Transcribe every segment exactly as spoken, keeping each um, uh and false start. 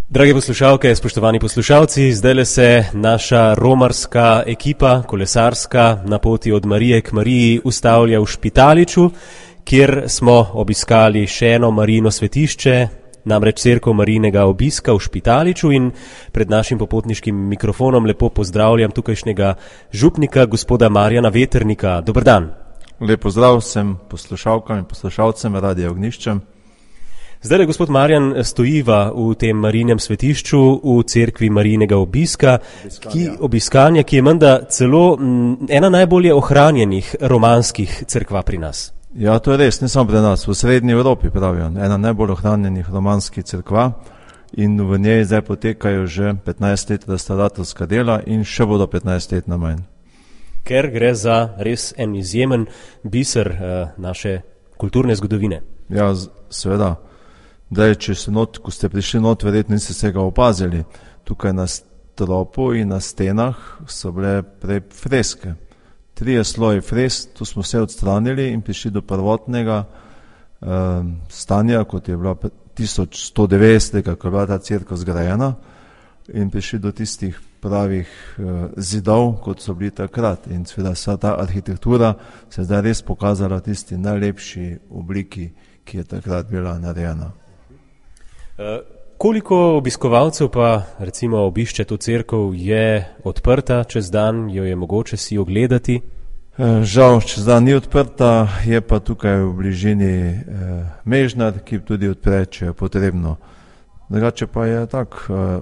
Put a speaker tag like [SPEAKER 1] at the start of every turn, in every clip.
[SPEAKER 1] Drage poslušalke, spoštovani poslušalci, zdajle se naša romarska ekipa, kolesarska, na poti od Marije k Mariji ustavlja v Špitaliču, kjer smo obiskali še eno Marijino svetišče, namreč cerkev Marijinega obiska v Špitaliču, in pred našim popotniškim mikrofonom lepo pozdravljam tukajšnjega župnika, gospoda Marjana Veternika. Dober dan.
[SPEAKER 2] Lep pozdrav vsem poslušalkam in poslušalcem Radia Ognjišče.
[SPEAKER 1] Zdaj, gospod Marjan, stojiva v tem Marijinem svetišču v cerkvi Marijinega obiska, ki, obiskanja, ki je menda celo m, ena najbolje ohranjenih romanskih cerkva pri nas.
[SPEAKER 2] Ja, to je res, ne samo pri nas, v srednji Evropi pravijo, ena najbolj ohranjenih romanskih cerkva, in v njej zdaj potekajo že petnajst let restauratorska dela in še bodo petnajst let na manj.
[SPEAKER 1] Ker gre za res en izjemen biser uh, naše kulturne zgodovine.
[SPEAKER 2] Ja, seveda. Daj, če se not, ko ste prišli not, verjetno niste se ga opazili. Tukaj na stropu in na stenah so bile prej freske. Trije sloji fresk, tu smo vse odstranili in prišli do prvotnega eh, stanja, kot je bila tisoč sto devetdeset, ko je bila ta cerkev zgrajena, in prišli do tistih pravih eh, zidov, kot so bili takrat. In seveda vsa ta arhitektura se je zdaj res pokazala tisti najlepši obliki, ki je takrat bila narejena.
[SPEAKER 1] Uh, koliko obiskovalcev pa recimo obišče to cerkev, je odprta čez dan, jo je mogoče si ogledati?
[SPEAKER 2] Uh, žal, čez dan ni odprta, je pa tukaj v bližini uh, Mežnar, ki tudi odpre, če je potrebno. Drugače pa je tak, uh,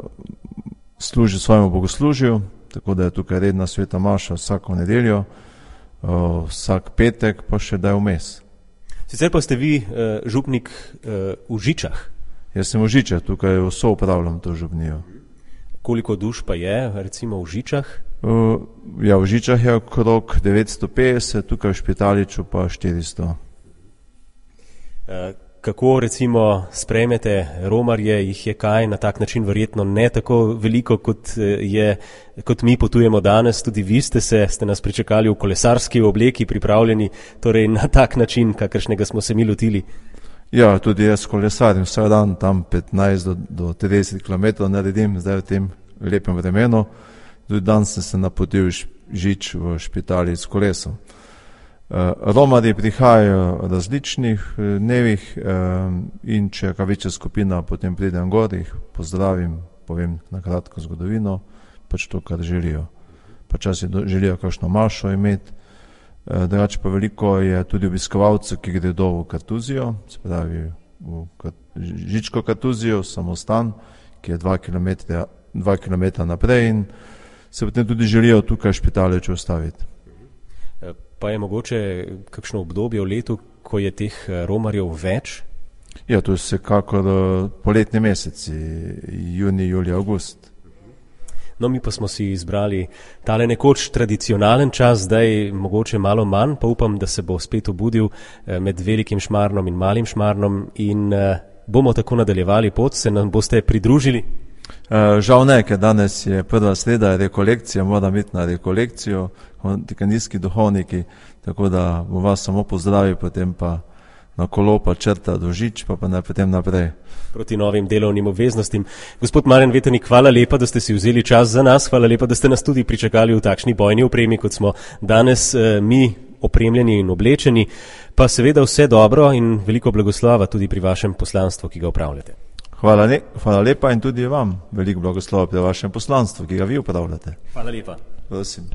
[SPEAKER 2] služi svojemu bogoslužju, tako da je tukaj redna sveta maša vsako nedeljo, uh, vsak petek pa še da je vmes.
[SPEAKER 1] Sicer pa ste vi uh, župnik uh, v Žičah.
[SPEAKER 2] Jaz sem v Žičah, tukaj vso upravljam to župnijo.
[SPEAKER 1] Koliko duš pa je, recimo, v Žičah?
[SPEAKER 2] Uh, ja, v Žičah je okrog devetsto petdeset, tukaj v Špitaliču pa štiristo.
[SPEAKER 1] Uh, kako, recimo, sprejmete romarje, jih je kaj na tak način verjetno ne tako veliko, kot, je, kot mi potujemo danes, tudi vi ste se, ste nas pričakali v kolesarski obleki, pripravljeni torej na tak način, kakršnega smo se mi lotili?
[SPEAKER 2] Ja, tudi jaz kolesarim vsak dan, tam petnajst do trideset kilometrov naredim, zdaj v tem lepem vremenu. Tudi dan sem se napotil Žič v Špitali s kolesom. Uh, romarji prihajajo različnih dnevih uh, in če je večja skupina, potem pridem gor, jih pozdravim, povem na kratko zgodovino, pač to, kar želijo. Počasi želijo kakšno mašo imeti. Drugače pa veliko je tudi obiskovalcev, ki gredo v Kartuzijo, se pravi v Žičko Kartuzijo, samostan, ki je dva kilometra, dva kilometra naprej, in se potem tudi želijo tukaj v Špitaliču ostaviti.
[SPEAKER 1] Pa je mogoče kakšno obdobje v letu, ko je teh romarjev več?
[SPEAKER 2] Ja, to je vsekakor poletni meseci, juni, julij, avgust.
[SPEAKER 1] No, mi pa smo si izbrali tale nekoč tradicionalen čas, zdaj mogoče malo manj, pa upam, da se bo spet obudil med velikim Šmarnom in malim Šmarnom in uh, bomo tako nadaljevali pot, se nam boste pridružili?
[SPEAKER 2] Uh, žal ne, ker danes je prva sreda rekolekcija, moram iti na rekolekcijo, tikanijski duhovniki, tako da bom vas samo pozdravil, potem pa na kolo pa črta do Žič, pa pa ne, potem naprej.
[SPEAKER 1] Proti novim delovnim obveznostim. Gospod Marjan Veternik, hvala lepa, da ste si vzeli čas za nas, hvala lepa, da ste nas tudi pričakali v takšni bojni opremi, kot smo danes eh, mi opremljeni in oblečeni, pa seveda vse dobro in veliko blagoslova tudi pri vašem poslanstvu, ki ga upravljate.
[SPEAKER 2] Hvala, le, hvala lepa in tudi vam veliko blagoslova pri vašem poslanstvu, ki ga vi upravljate.
[SPEAKER 1] Hvala lepa.
[SPEAKER 2] Prosim.